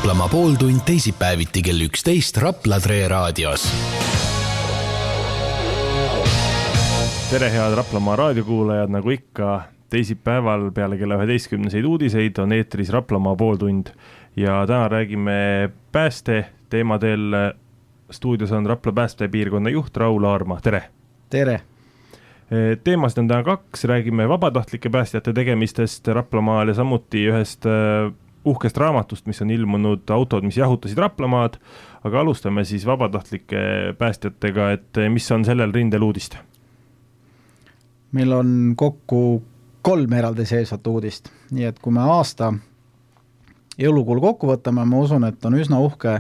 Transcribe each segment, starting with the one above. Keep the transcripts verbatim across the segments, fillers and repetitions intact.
Raplamaa pooltund teisipäeviti kell üksteist Rapla Tre raadios. Tere head Raplamaa raadiokuulajad, nagu ikka teisipäeval peale kella üheteistkümneseid uudiseid on eetris Raplamaa pooltund ja täna räägime pääste teemadel. Stuudios on Rapla päästepiirkonna juht Raul Aarma. Tere! Tere! Teemast on täna kaks, räägime vabatahtlike päästjate tegemistest Raplamaal ja samuti ühest uhkest raamatust, mis on ilmunud autod, mis jahutasid Raplamaad, aga alustame siis vabatahtlike päästjatega, et mis on sellel rindel uudist? Meil on kokku kolm eraldi seesvat uudist, nii et kui me aasta jõulukuul kokku võtame, ma usun, et on üsna uhke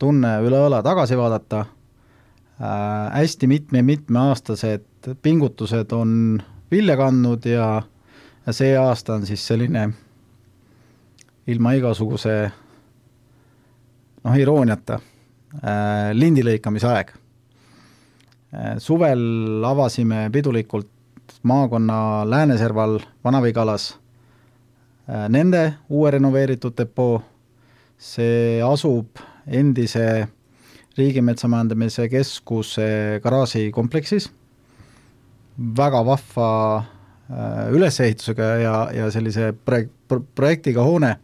tunne üle õla tagasi vaadata. Äh, hästi mitme-mitme aastased pingutused on vilja kandnud ja, ja see aasta on siis selline ilma igasuguse noh, irooniata äh, lindilõikamise aeg. Äh, suvel avasime pidulikult maakonna Lääneserval Vana-Vigalas äh, nende uue renoveeritud depoo. See asub endise Riigimetsamajandamise keskuse garaaži kompleksis. Väga vahva äh, ülesehitusega ja, ja sellise projek- pro- projektiga hoone.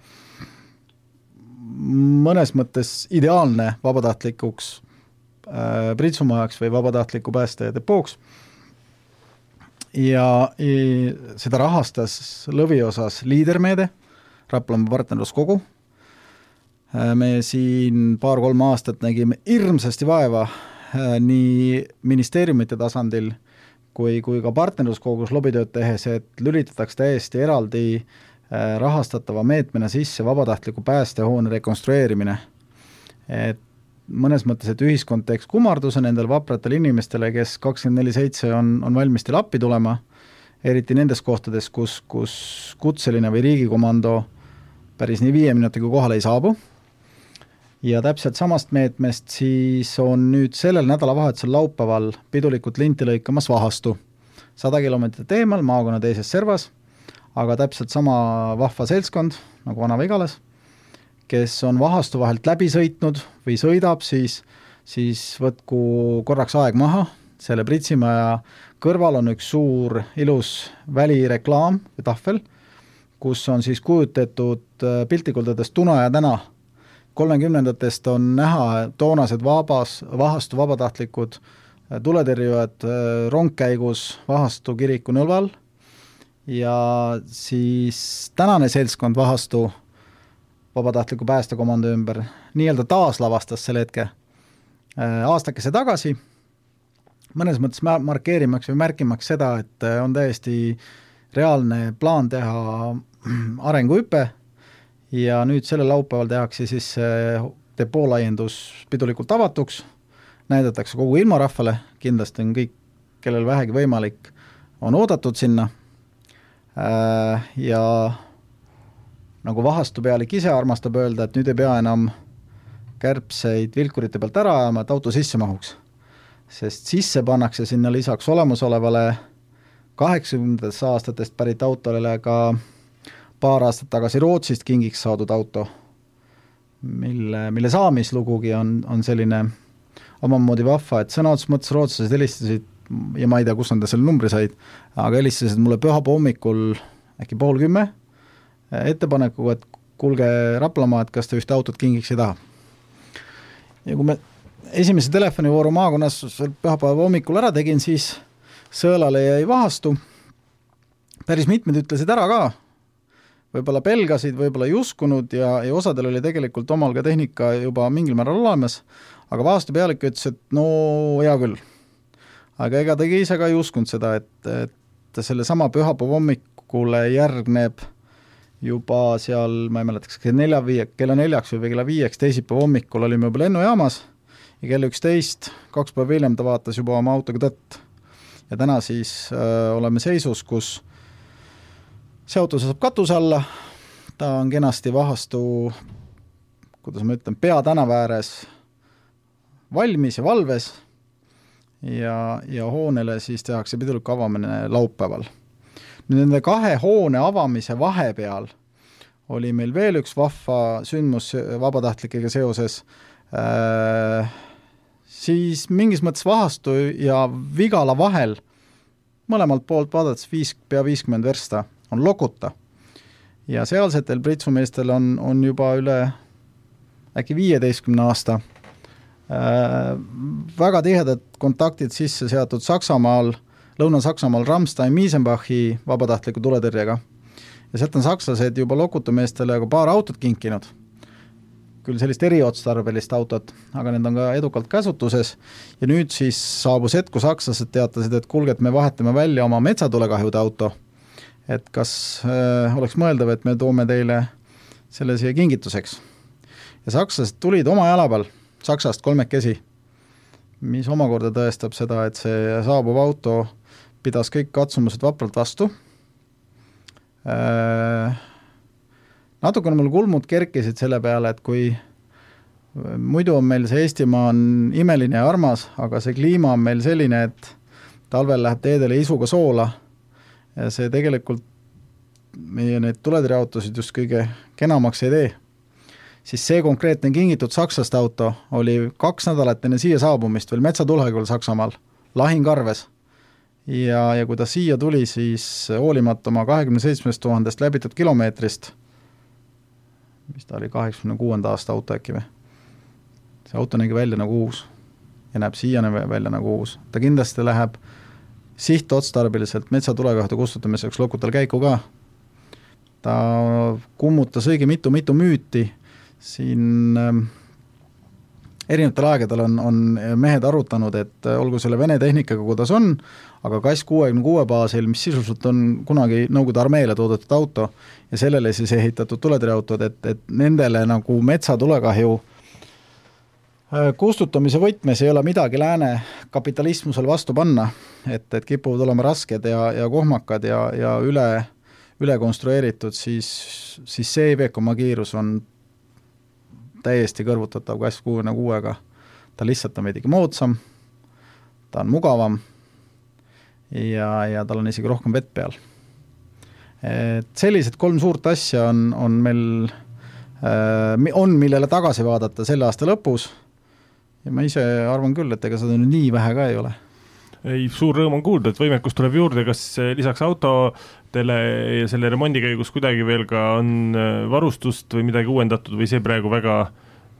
Mõnes mõttes ideaalne vabatahtlikuks äh, pritsumajaks või vabatahtliku pääste depooks. Ja, ja seda rahastas lõviosas liidermeede, Raplamaa partnerluskogu. Me siin paar-kolm aastat nägime hirmsasti vaeva nii ministeeriumite tasandil kui, kui ka partnerluskogus lobitööd tehes, et lülitataks täiesti eraldi rahastatava meetmena sisse vabatahtliku päästehoone rekonstrueerimine. Et mõnes mõttes, et ühiskond teeks kummarduse nendel vapratele inimestele, kes kakskümmend neli seitse on, on valmis teil appi tulema, eriti nendes kohtades, kus, kus kutseline või riigikomando päris nii viie minutiga kohale ei saabu. Ja täpselt samast meetmest siis on nüüd sellel nädalavahetusel laupäeval pidulikult linti lõikamas Vahastu. sada kilomeetrit eemal maakonna teises servas, aga täpselt sama vahva seltskond nagu Vana-Vigalas, kes on Vahastu vahelt läbi sõitnud või sõidab, siis, siis võtku korraks aeg maha. Selle Pritsimaja kõrval on üks suur ilus välireklaam või tahvel, kus on siis kujutatud piltikuldades Tuna ja täna. kolmekümnendatest on näha toonased vabas, Vahastu vabatahtlikud tuletõrjujad rongkäigus Vahastu kiriku nõlval ja siis tänane seltskond Vahastu vabatahtliku päästekomando ümber nii-öelda taaslavastas selle hetke aastakese tagasi. Mõnes mõttes markeerimaks või märkimaks seda, et on täiesti reaalne plaan teha arenguhüpe. Ja nüüd selle laupäeval tehakse siis depoo laiendus pidulikult avatuks, näidatakse kogu ilmarahvale, kindlasti on kõik, kellel vähegi võimalik, on oodatud sinna. Ja nagu Vahastu pealik ise armastab öelda, et nüüd ei pea enam kärbseid vilkurite pealt ära ajama, et auto sisse mahuks. Sest sisse pannakse sinna lisaks olemasolevale kaheksakümnendatest aastatest pärit autole ka paar aastat tagasi Rootsist kingiks saadud auto, mille, mille saamislugugi on, on selline omamoodi vahva, et sõna otsus mõttes rootslased helistasid, ja ma ei tea, kus on ta selle numbri said, aga helistasid mulle pühapa hommikul äkki pool kümme ettepanekuga, et kuulge Raplamaa, et kas te ühte autot kingiks ei taha. Ja kui me esimese telefonivooru maakonnas pühapäeva hommikul ära tegin, siis Sõelale jäi Vahastu. Päris mitmed ütlesid ära ka, võib-olla pelgasid, võib-olla ei uskunud ja, ja osadel oli tegelikult omal ka tehnika juba mingil määral olemas, aga Vahastu pealik ütles, et no hea küll. Aga ega ta ise ka ei uskunud seda, et, et selle sama pühapäeva hommikule järgneb juba seal, ma ei mäletaks, kella, viie, kella neljaks või kella viieks teisipäeva hommikul olime juba lennujaamas ja kell üksteist, kaks päeva hiljem ta vaatas juba oma autoga tõtt. Ja täna siis äh, oleme seisus, kus see auto saab katuse alla, ta on kenasti Vahastu, kuidas ma ütlen, peatänava ääres valmis ja valves ja, ja hoonele siis tehakse pidulik avamine laupäeval. Nüüd nende kahe hoone avamise vahepeal oli meil veel üks vahva sündmus vabatahtlikega seoses, äh, siis mingis mõttes Vahastu ja Vigala vahel mõlemalt poolt vaadates viis, pea viiskümmend versta on Lokuta. Ja sealsetel pritsumeestel on, on juba üle äkki viieteistkümne aasta äh, väga tihedad kontaktid sisse seatud Saksamaal, Lõuna-Saksamaal Ramstein-Miesenbachi vabatahtliku tuletõrjega. Ja sealt on sakslased juba Lokuta-meestele ka paar autot kinkinud. Küll sellist eriotstarbelist autot, aga need on ka edukalt käsutuses. Ja nüüd siis saabus hetku sakslased teatasid, et kulge, et me vahetame välja oma metsatulekahjude auto. Et kas äh, oleks mõeldav, et me toome teile selle siia kingituseks. Ja sakslased tulid oma jalapal, Saksast kolmekesi, mis omakorda tõestab seda, et see saabuv auto pidas kõik katsumused vapralt vastu. Äh, natukene mul kulmud kerkisid selle peale, et kui muidu on meil see Eestimaa on imeline ja armas, aga see kliima on meil selline, et talvel läheb teedele isuga soola ja see tegelikult meie neid tuletõrjeautosid just kõige kenamaks ei tee. Siis see konkreetne kingitud Saksast auto oli kaks nädalat enne siia saabumist veel metsatulekahjul Saksamaal, lahingarves. Ja, ja kui ta siia tuli, siis hoolimata oma kahekümne seitsmest tuhandest läbitud kilomeetrist, mis ta oli kaheksakümne kuuenda aasta auto äkki või? See auto nägi välja nagu uus ja näeb siiani välja nagu uus. Ta kindlasti läheb sihtotstarbeliselt metsatulekahjude kustutamiseks Lokutal käiku ka. Ta kummutas õige mitu-mitu müüti. Siin äh, erinevatel aegadel on, on mehed arutanud, et olgu selle Vene tehnikaga, kuidas on, aga K A S kuuekümne kuue baasil, mis sisuliselt on kunagi Nõukogude armeele toodetud auto ja sellele siis ehitatud tuletõrjeautod, et, et nendele nagu metsatulekahju kustutamise võtmes ei ole midagi lääne kapitalismusel vastu panna, et, et kipuvad olema rasked ja, ja kohmakad ja, ja üle, üle konstrueeritud, siis, siis see Iveco kiirus on täiesti kõrvutatav K A S kuuekümne kuuega. Ta lihtsalt on veidigi moodsam, ta on mugavam ja, ja tal on isegi rohkem vett peal. Et sellised kolm suurt asja on, on meil, on millele tagasi vaadata selle aasta lõpus ja ma ise arvan küll, et ega seda nii vähe ka ei ole. Ei, suur rõõm on kuulda, et võimekus tuleb juurde, kas lisaks autodele ja selle remondi käigus kuidagi veel ka on varustust või midagi uuendatud või see praegu väga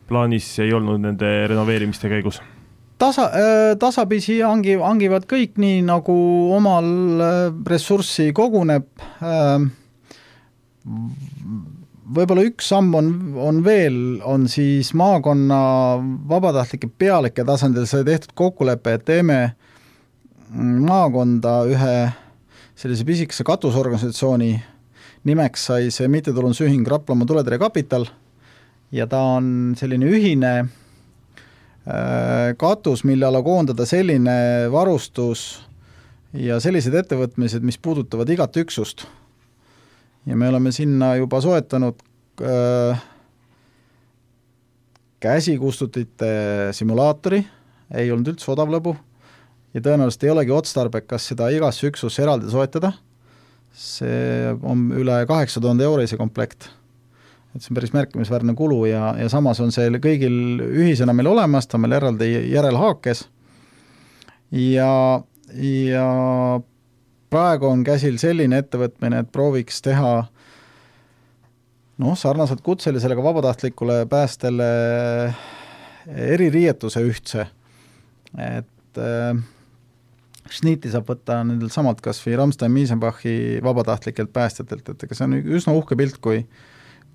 plaanis ei olnud nende renoveerimiste käigus? Tasa, tasapisi hangi, hangivad kõik nii, nagu omal ressurssi koguneb. Võib-olla üks samm on, on veel, on siis maakonna vabatahtlike pealike tasandil sai tehtud kokkulepe, et teeme maakonda ühe sellise pisikese katusorganisatsiooni nimeks sai see mittetulundusühing Raplamaa tuletõrje kapital ja ta on selline ühine katus, mille alla koondada selline varustus ja sellised ettevõtmised, mis puudutavad igat üksust. Ja me oleme sinna juba soetanud äh, käsikustutite simulaatori, ei olnud üldse odav lõbu ja tõenäoliselt ei olegi otstarbekas seda igasse üksusse eraldi soetada. See on üle kaheksa tuhande eurose komplekt. Et see on päris märkimisväärne kulu ja, ja samas on see kõigil ühisena meil olemas, ta meil eraldi järelhaakes ja, ja praegu on käsil selline ettevõtmine, et prooviks teha noh, sarnaselt kutselisele ka vabatahtlikule päästele eririietuse ühtse, et äh, šniiti saab võtta nendel samalt kas või Ramstein-Miesenbachi vabatahtlikelt päästjatelt, et ega see on üsna uhke pilt, kui,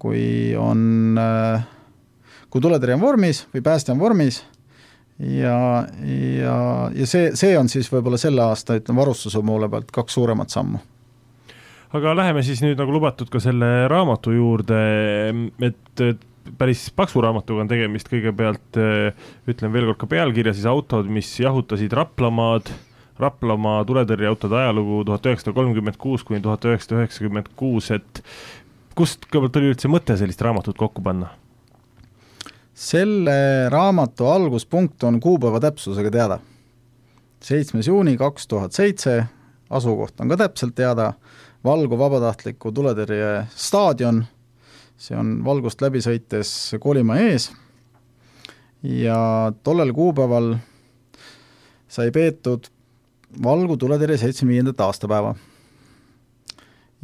kui on äh, kui tuletõrje on vormis või päästja on vormis ja, ja, ja see, see on siis võib-olla selle aasta ütleme, varustuse poole pealt kaks suuremat sammu. Aga läheme siis nüüd nagu lubatud ka selle raamatu juurde, et päris paksu raamatuga on tegemist kõigepealt, ütlen veel kord ka pealkirja, siis autod, mis jahutasid Raplamaad, Raplamaa tuletõrjeautode ajalugu tuhat üheksasada kolmkümmend kuus kuni tuhat üheksasada üheksakümmend kuus, et kust kõigepealt oli üldse mõte sellist raamatut kokku panna? Selle raamatu alguspunkt on kuupäeva täpsusega teada. seitsmes juuni kaks tuhat seitse, asukoht on ka täpselt teada, Valgu vabatahtliku tuletõrje staadion, see on valgust läbi sõites Koolimaa ees ja tollel kuupäeval sai peetud Valgu tuletõrje seitsmekümne viiendat aastapäeva.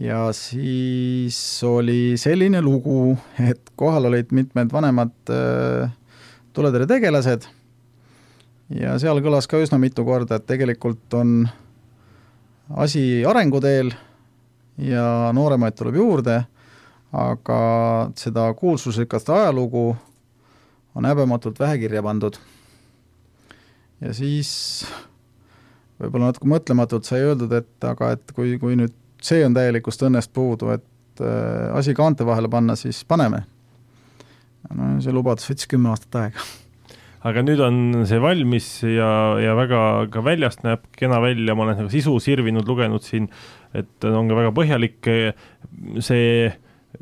Ja siis oli selline lugu, et kohal olid mitmed vanemad äh, tuletõrje tegelased ja seal kõlas ka üsna mitu korda, et tegelikult on asi arenguteel ja nooremaid tuleb juurde, aga seda kuulsusrikast ajalugu on häbematult vähe kirja pandud. Ja siis võib-olla natuke mõtlematult sai öeldud, et aga et kui, kui nüüd see on täielikust õnnest puudu, et äh, asi kaante vahele panna, siis paneme. No, see lubadus võttis kümme aastat aega. Aga nüüd on see valmis ja, ja väga ka väljast näeb kena välja, ma olen nagu sisu sirvinud, lugenud siin, et on ka väga põhjalik see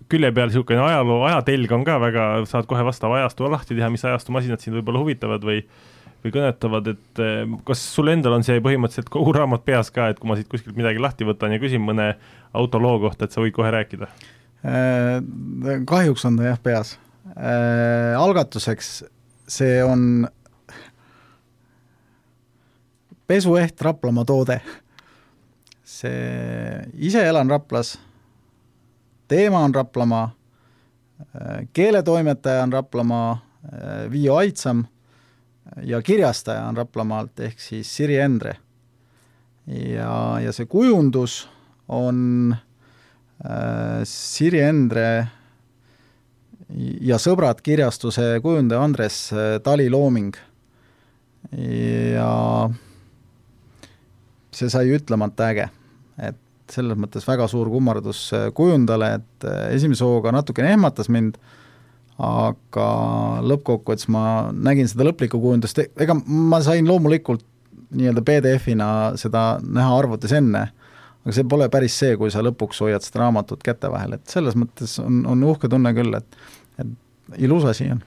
külje peal niisugune ajaloo, ajatelg on ka väga, saad kohe vastava ajastu lahti teha, mis ajastu masinad siin võib-olla huvitavad või või kõnetavad, et kas sul endal on see põhimõtteliselt kogu raamat peas ka, et kui ma siit kuskilt midagi lahti võtan ja küsin mõne autoloo kohta, et sa võid kohe rääkida? Kahjuks on ta jah peas. Algatuseks see on pesueht Raplamaa toode. See ise elan Raplas, teema on Raplamaa, keeletoimetaja on Raplamaa, Viio Aitsam, ja kirjastaja on Raplamaalt ehk siis Siri Endre. Ja, ja see kujundus on äh, Siri Endre ja sõbrad kirjastuse kujundaja Andres Tali looming. Ja see sai ütlemata äge, et selles mõttes väga suur kummardus kujundale, et esimese hooga natukene ehmatas mind, aga lõppkokkuvõttes ma nägin seda lõplikku kujundust, ega ma sain loomulikult nii-öelda P D F-ina seda näha arvutis enne, aga see pole päris see, kui sa lõpuks hoiad seda raamatut käte vahel, et selles mõttes on, on uhke tunne küll, et, et ilus asi on.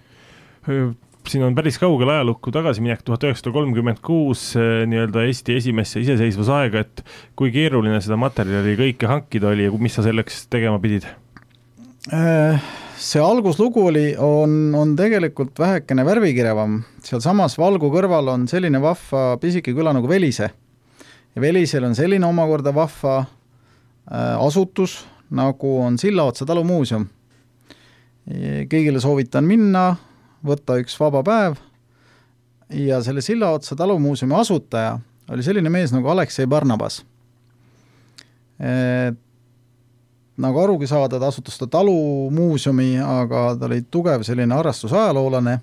Siin on päris kaugel ajalukku tagasiminek tuhat üheksasada kolmkümmend kuus nii-öelda Eesti esimesse iseseisvusaega, et kui keeruline seda materjali kõike hankida oli ja mis sa selleks tegema pidid? See alguslugu oli, on, on tegelikult vähekene värvikirevam. Seal samas Valgu kõrval on selline vahva pisike küla nagu Velise. Ja Velisel on selline omakorda vahva äh, asutus, nagu on Sillaotsa talumuuseum. Kõigile soovitan minna, võtta üks vaba päev ja selle Sillaotsa talumuuseumi asutaja oli selline mees nagu Aleksei Barnabas. Et nagu arugi saada, ta asutas ta talumuuseumi, aga ta oli tugev selline harrastusajaloolane.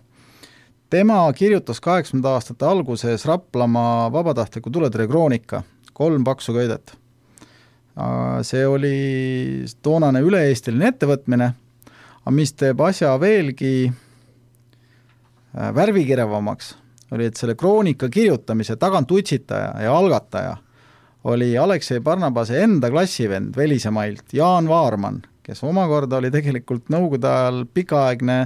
Tema kirjutas kaheksakümnendate aastate alguses Raplamaa vabatahtliku tuletõrje kroonika, kolm paksu köidet. See oli toonane üle-eestiline ettevõtmine, aga mis teeb asja veelgi värvikirevamaks, oli, et selle kroonika kirjutamise tagant utsitaja ja algataja oli Aleksei Barnabase enda klassivend Velisemailt, Jaan Vaarman, kes omakorda oli tegelikult nõukogude ajal pikaaegne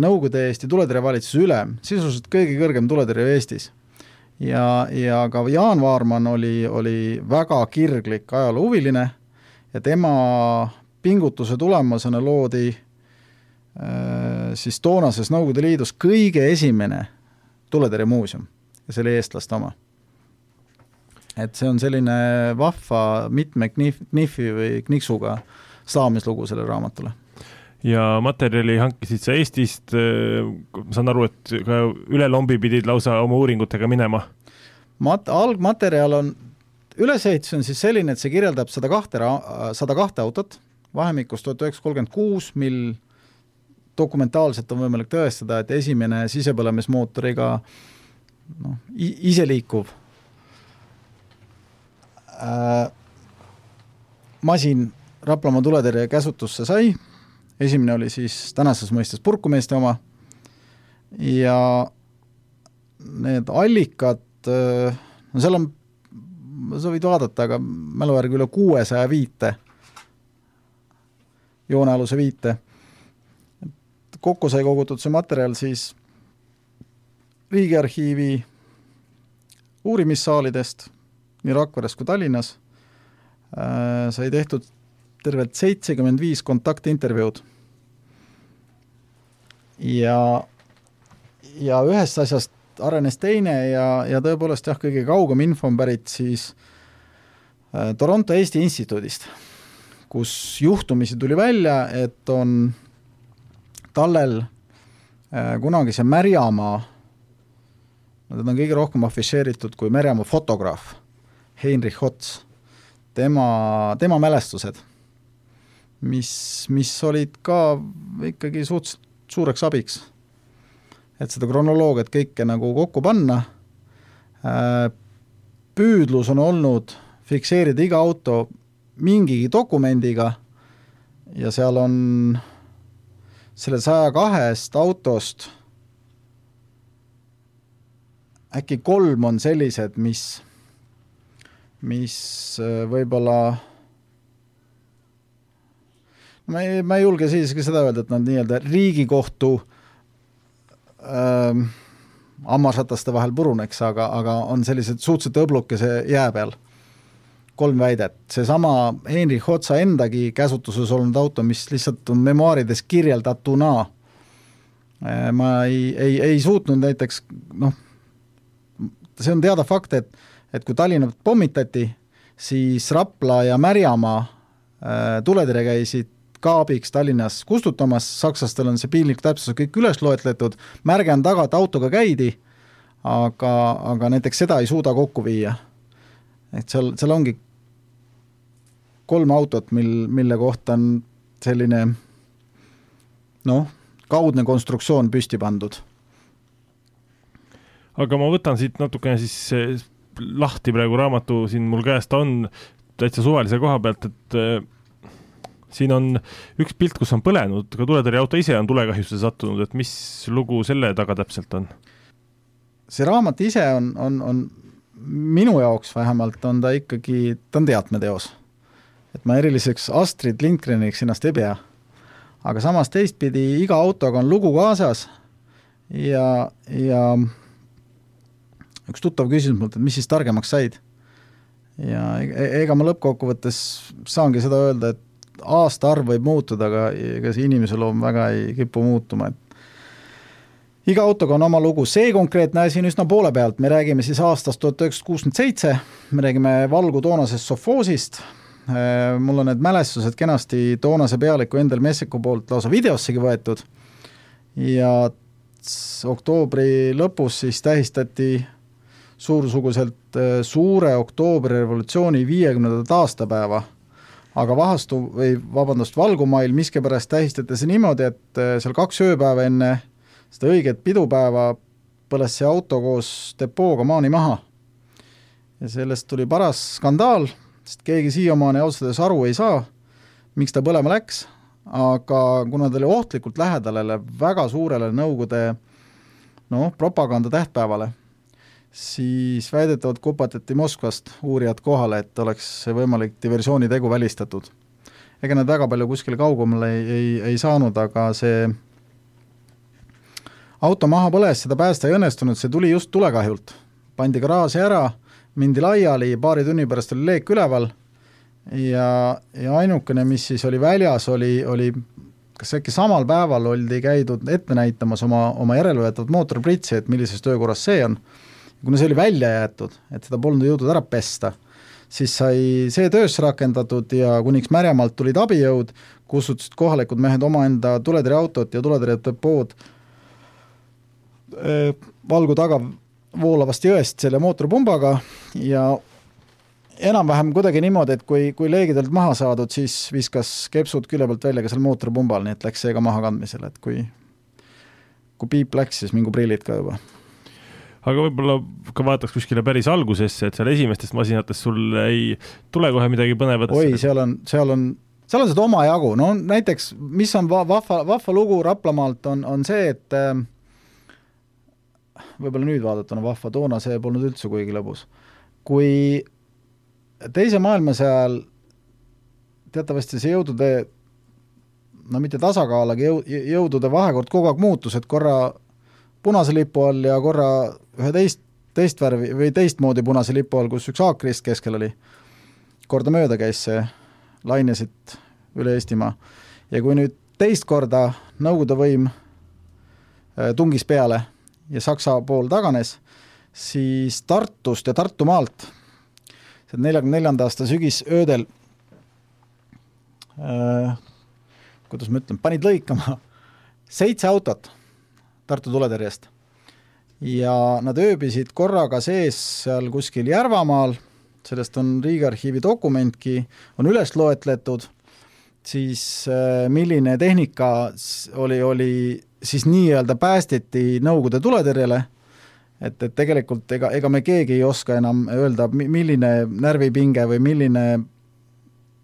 Nõukogude Eesti tuletõrje valitsuse ülem, sisuliselt kõige kõrgem tuletõrje Eestis. Ja, ja ka Jaan Vaarman oli, oli väga kirglik ajaloohuviline ja tema pingutuse tulemusena loodi siis toonases Nõukogude Liidus kõige esimene tuletõrje muuseum ja see oli eestlaste oma. Et see on selline vahva mitme knif, knifi või kniksuga saamislugu selle raamatule. Ja materjali hankisid sa Eestist, ma saan aru, et ka üle lombi pidid lausa oma uuringutega minema? Mat- algmaterjal on, ülesehitus on siis selline, et see kirjeldab sada kahte, sada kahte autot, vahemikus tuhat üheksasada kolmkümmend kuus, mil dokumentaalselt on võimalik tõestada, et esimene sisepõlemismootoriga no, iseliikuv Äh, masin Raplamaa tuletõrje käsutusse sai, esimene oli siis tänases mõistes purkumeeste oma ja need allikad, no seal on, sa võid vaadata, aga mäluvärgi üle kuuesaja viite, joonealuse viite. Kokku sai kogutud see materjal siis Riigiarhiivi uurimissaalidest, nii Rakveres kui Tallinnas, äh, sai tehtud tervelt seitsekümmend viis kontaktintervjuud. Ja, ja ühest asjast arenes teine ja, ja tõepoolest jah, kõige kaugem info on pärit siis äh, Toronto Eesti Instituudist, kus juhtumisi tuli välja, et on tallel äh, kunagise Märjamaa, nad on kõige rohkem afišeeritud kui Märjamaa fotograaf, Heinrich Hots, tema, tema mälestused, mis, mis olid ka ikkagi suhteliselt suureks abiks, et seda kronoloogiat kõike nagu kokku panna. Püüdlus on olnud fikseerida iga auto mingigi dokumendiga ja seal on selle saja kahest autost äkki kolm on sellised, mis, mis võib-olla ma ei, ma ei julge siiski seda öelda, et nad nii-öelda Riigikohtu ähm, hammarsataste vahel puruneks, aga, aga on sellised suhteliselt õblukese jää peal. Kolm väidet. See sama Heinrich Hotsa endagi käsutuses olnud auto, mis lihtsalt on memuaarides kirjeldatuna. Ma ei, ei, ei suutnud näiteks, noh, see on teada fakt, et, et kui Tallinna pommitati, siis Rapla ja Märjamaa äh, tuletõrje käisid ka abiks Tallinnas kustutamas, sakslastel on see piinlik täpsus kõik üles loetletud, märge on taga, et autoga käidi, aga, aga näiteks seda ei suuda kokku viia. Et seal, seal ongi kolm autot, mil, mille kohta on selline noh, kaudne konstruktsioon püsti pandud. Aga ma võtan siit natukene siis lahti praegu raamatu, siin mul käest on täitsa suvalise koha pealt, et siin on üks pilt, kus on põlenud, ka tuletõrje auto ise on tulekahjusse sattunud, et mis lugu selle taga täpselt on? See raamat ise on, on, on minu jaoks vähemalt on ta ikkagi, ta on teatmeteos. Et ma eriliseks Astrid Lindgreniks ennast ei pea. Aga samas teistpidi iga autoga on lugu kaasas ja, ja üks tuttav küsimus mult, et mis siis targemaks said. Ja ega ma lõppkokkuvõttes saangi seda öelda, et aasta arv võib muutuda, aga ega see inimese loom väga ei kipu muutuma. Et iga autoga on oma lugu. See konkreetne asi on üsna poole pealt. Me räägime siis aastast tuhat üheksasada kuuskümmend seitse, me räägime Valgu toonasest Sofoosist. Mul on need mälestused kenasti toonase pealiku Endel Messiku poolt lausa videossegi võetud. Ja oktoobri lõpus siis tähistati suursuguselt suure oktoobri revolutsiooni viiekümnendat aastapäeva. Aga vahastu või vabandust, Valgumail miskipärast tähistati see niimoodi, et seal kaks ööpäeva enne seda õiget pidupäeva põles see auto koos depooga maani maha. Ja sellest tuli paras skandaal, sest keegi siiamaani ausades aru ei saa, miks ta põlema läks, aga kuna ta oli ohtlikult lähedalele väga suurele Nõukogude no, propaganda tähtpäevale, siis väidetavalt kupatati Moskvast uurijad kohale, et oleks võimalik diversiooni tegu välistatud. Ega nad väga palju kuskile kaugemale ei, ei, ei saanud, aga see auto maha põles, seda päästa ei õnnestunud, see tuli just tulekahjult. Pandi garaaži ära, mindi laiali, paari tunni pärast oli leek üleval ja, ja ainukene, mis siis oli väljas, oli, oli kas äkki samal päeval oldi käidud ette näitamas oma, oma järelvõetavat mootorpritsi, et millises töökorras see on. Kuna see oli välja jäetud, et seda polnud jõudnud ära pesta, siis sai see töösse rakendatud ja kuniks Märjamaalt tulid abijõud, kustutasid kohalikud mehed omaenda tuletõrje autot ja tuletõrje depood Valgu taga voolavast jõest selle mootorpumbaga ja enam-vähem kuidagi niimoodi, et kui, kui leegidelt maha saadud, siis viskas kepsud külje pealt välja ka seal mootorpumbal, nii et läks see ka maha kandmisele, et kui, kui piip läks, siis mingu prillid ka juba. Aga võib-olla ka vaataks kuskile päris algusesse, et seal esimestest masinatest sul ei tule kohe midagi põnevat. Oi, seal on, seal on, seal on seda oma jagu. No näiteks, mis on vahva, vahva lugu Raplamaalt on, on see, et äh, võib-olla nüüd vaadatuna vahva, toona see polnud üldse kuigi lõbus. Kui teise maailmasõjal teatavasti see jõudude, no mitte tasakaal, aga jõudude vahekord kogu aeg muutus, et korra punase lipu all ja korra ühe teist, teist värvi või teistmoodi punase lipu all, kus üks aakrist keskel oli. Korda mööda käis see, lainesid üle Eestimaa. Ja kui nüüd teist korda Nõukogude võim tungis peale ja Saksa pool taganes, siis Tartust ja Tartumaalt neljakümne neljanda aasta sügis öödel äh, kuidas ma ütlen, panid lõikama seitse autot Tartu tuletõrjest ja nad ööbisid korraga sees seal kuskil Järvamaal, sellest on Riigiarhiivi dokumentki, on üles loetletud, siis äh, milline tehnika oli, oli siis nii-öelda päästeti Nõukogude tuletõrjele, et, et tegelikult ega, ega me keegi ei oska enam öelda, milline närvipinge või milline,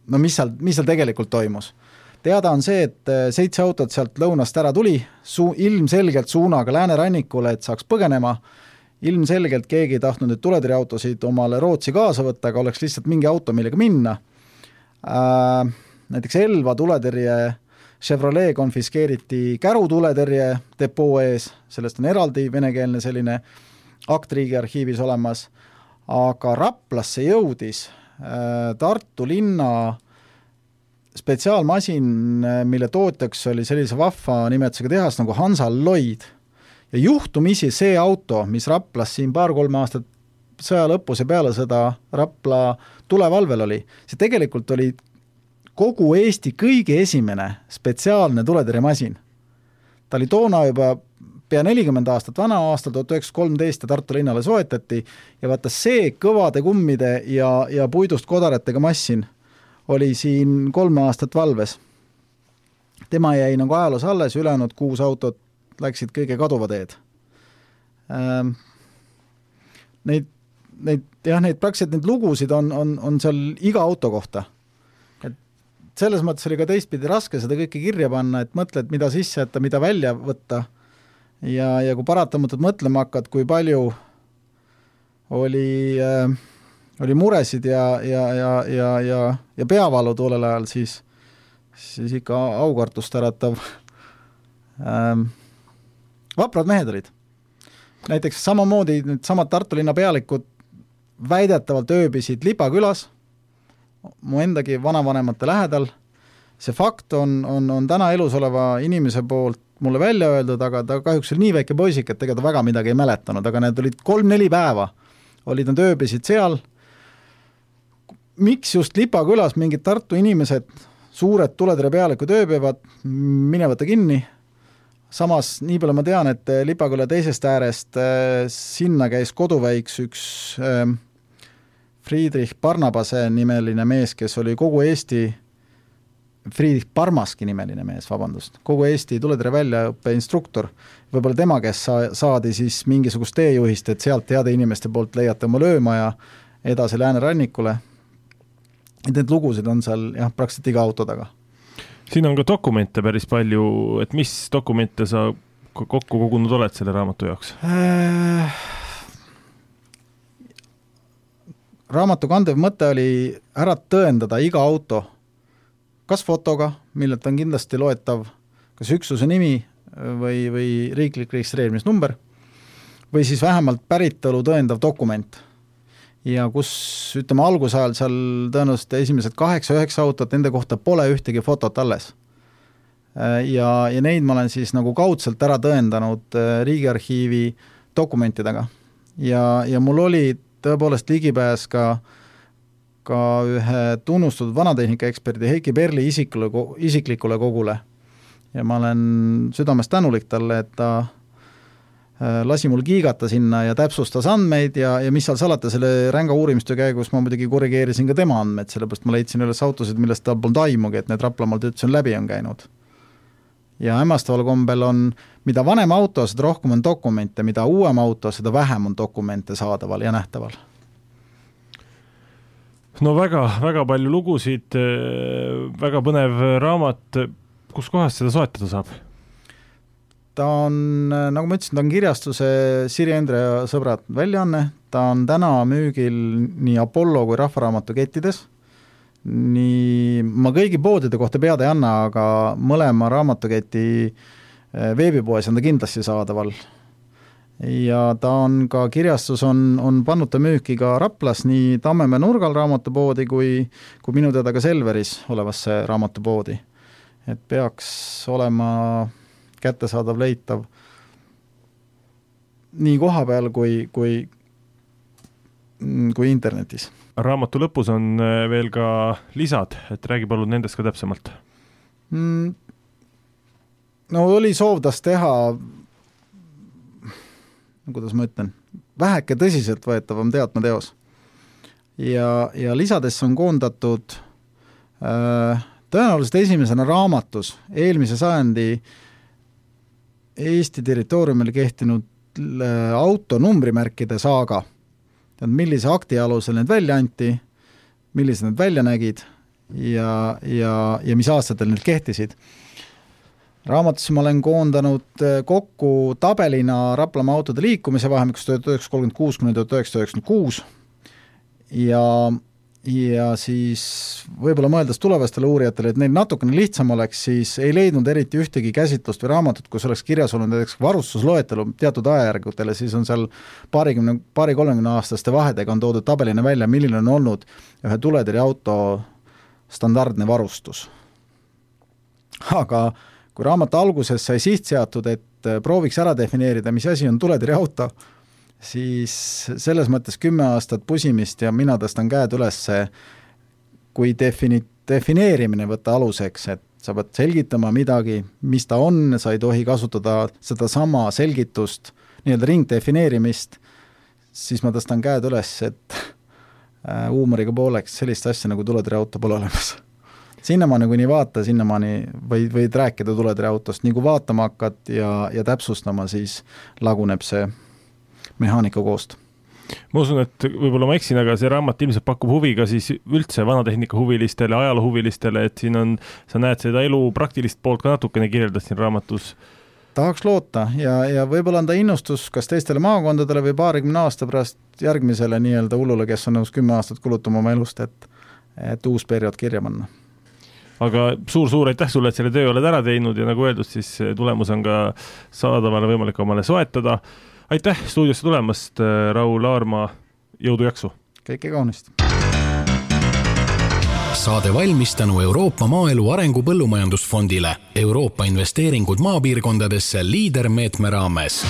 no mis seal, mis seal tegelikult toimus. Teada on see, et seitse autot sealt lõunast ära tuli, su, ilmselgelt suunaga läänerannikule, et saaks põgenema, ilmselgelt keegi ei tahtnud nüüd tuletõrjeautosid omale Rootsi kaasa võtta, aga oleks lihtsalt mingi auto, millega minna. Äh, näiteks Elva tuletõrje Chevrolet konfiskeeriti Käru tuletõrje depoo ees, sellest on eraldi venekeelne selline akt Riigiarhiivis olemas, aga Raplasse jõudis äh, Tartu linna spetsiaalmasin, mille tootjaks oli sellise vahva nimetusega tehas nagu Hansa Lloyd. Ja juhtumisi see auto, mis Raplas siin paar-kolme aastat sõja lõpus ja peale sõda Rapla tulevalvel oli, see tegelikult oli kogu Eesti kõige esimene spetsiaalne tuletõrjemasin. Ta oli toona juba pea nelikümmend aastat vana, aastal tuhat üheksasada kolmteist ja Tartu linnale soetati ja vaata see kõvade kummide ja, ja puidust kodaratega massin oli siin kolme aastat valves. Tema jäi nagu ajaloos alles, ülejäänud kuus autot läksid kõige kaduva teed. Ähm, neid, neid, jah, neid praktiliselt neid lugusid on, on, on seal iga auto kohta. Et selles mõttes oli ka teistpidi raske seda kõike kirja panna, et mõtled, mida sisse jätta, mida välja võtta. Ja, ja kui paratamatult mõtlema hakkad, kui palju oli... Äh, oli muresid ja, ja, ja, ja, ja, ja peavalu tollel ajal, siis, siis ikka aukartust äratav. Ähm, vaprad mehed olid. Näiteks samamoodi nüüd samad Tartu linna pealikud väidetavalt ööbisid Lipakülas, mu endagi vanavanemate lähedal. See fakt on, on, on täna elus oleva inimese poolt mulle välja öeldud, aga ta kahjuks oli nii väike poisik, et tegelikult väga midagi ei mäletanud, aga need olid kolm-neli päeva. Olid nad ööbisid seal. Miks just Lipakülas mingid Tartu inimesed, suured tuletõrje pealikud ööbivad, minevata kinni. Samas, nii palju ma tean, et Lipaküla teisest äärest äh, sinna käis koduväiks üks äh, Friedrich Barnabase nimeline mees, kes oli kogu Eesti, Friedrich Parmaski nimeline mees, vabandust, kogu Eesti tuletõrje väljaõppe instruktor. Võib-olla tema, kes sa, saadi siis mingisugust teejuhist, et sealt heade inimeste poolt leiate oma löömaja edasi läänerannikule. Et need lugusid on seal jah, praktiliselt iga auto taga. Siin on ka dokumente päris palju, et mis dokumente sa kokku kogunud oled selle raamatu jaoks? Äh, raamatu kandev mõte oli ära tõendada iga auto, kas fotoga, millelt on kindlasti loetav kas üksuse nimi või, või riiklik registreerimisnumber, või siis vähemalt päritolu tõendav dokument. Ja kus, ütleme, algusajal seal tõenäoliselt esimesed kaheksa-üheksa autot, nende kohta pole ühtegi fotot alles. Ja, ja neid ma olen siis nagu kaudselt ära tõendanud Riigiarhiivi dokumentidega. Ja, ja mul oli tõepoolest ligipääs ka, ka ühe tunnustatud vanatehnika eksperdi Heiki Perli isikule, isiklikule kogule. Ja ma olen südamest tänulik talle, et ta lasi mul kiigata sinna ja täpsustas andmeid ja, ja mis seal salata selle ränga uurimistöö käigus ma muidugi korrigeerisin ka tema andmeid, sellepärast ma leidsin üles autosid, millest ta polnud aimugi, et need Raplamaalt üldse on läbi on käinud. Ja hämmastaval kombel on, mida vanem auto, seda rohkem on dokumente, mida uuem auto, seda vähem on dokumente saadaval ja nähtaval. No väga, väga palju lugusid, väga põnev raamat, kus kohast seda soetada saab? Ta on, nagu ma ütlesin, ta on kirjastuse Siri Endre ja sõbrad väljaanne, ta on täna müügil nii Apollo kui Rahvaraamatu kettides, nii, ma kõigi poodide kohta pead ei anna, aga mõlema raamatuketi veebipoes on ta kindlasti saadaval. ja ta on ka, kirjastus on, on pannud ta müüki ka Raplas nii Tammemäe nurgal raamatupoodi kui, kui minu teada ka Selveris olevasse raamatupoodi. Et peaks olema kättesaadav, leitav nii koha peal kui, kui, kui internetis. Raamatu lõpus on veel ka lisad, et räägi palun nendest ka täpsemalt. Mm, no oli soov tas teha, kuidas ma ütlen, väheke tõsiselt võetavam teatmeteos. Ja, ja lisadesse on koondatud äh, tõenäoliselt esimesena raamatus eelmise sajandi Eesti territooriumil kehtinud auto numbrimärkide saaga, millise akti alusel need välja anti, millised need välja nägid ja, ja, ja mis aastatel need kehtisid. Raamatusse ma olen koondanud kokku tabelina Raplamaa autode liikumise vahemikus tuhat üheksasada kolmkümmend kuus kuni tuhat üheksasada üheksakümmend kuus ja ja siis võib-olla mõeldes tulevastele uurijatele, et neil natukene lihtsam oleks, siis ei leidnud eriti ühtegi käsitlust või raamatut, kus oleks kirjas olnud näiteks varustusloetelu teatud ajajärgutele, siis on seal paarikümne, paari kolmekümne aastaste vahedega on toodud tabelina välja, milline on olnud ühe tuletõrje auto standardne varustus. Aga kui raamatu alguses sai siht seatud, et prooviks ära defineerida, mis asi on tuletõrje auto, siis selles mõttes kümme aastat pusimist ja mina tõstan käed üles, kui defini-, defineerimine võtta aluseks, et sa pead selgitama midagi, mis ta on, sa ei tohi kasutada seda sama selgitust, nii-öelda ringdefineerimist, siis ma tõstan käed üles, et huumoriga pooleks sellist asja nagu tuletõrje auto pole olemas. Sinnamaani, kui nii vaata, sinnamaani või, võid rääkida tuletõrje autost, nii kui vaatama hakkad ja, ja täpsustama, siis laguneb see mehaanika koost. Ma usun, et võib-olla ma eksin, aga see raamat ilmselt pakub huvi ka siis üldse vanatehnika huvilistele, ajaloo huvilistele, et siin on, sa näed seda elu praktilist poolt ka natukene kirjeldad siin raamatus. Tahaks loota ja, ja võib-olla on ta innustus kas teistele maakondadele või paarikümne aasta pärast järgmisele nii-öelda hullule, kes on nõus kümme aastat kulutama oma elust, et, et uus periood kirja panna. Aga suur-suur aitäh sulle, et selle töö oled ära teinud ja nagu öeldud, siis tulemus on ka saadavale võimalik omale soetada. Aitäh stuudiosse tulemast, Raul Aarma, jõudu jaksu! Kõike kaunist! Saade valmis tänu Euroopa Maaelu Arengu Põllumajandusfondile, Euroopa investeeringud maapiirkondadesse liidermeetme raames.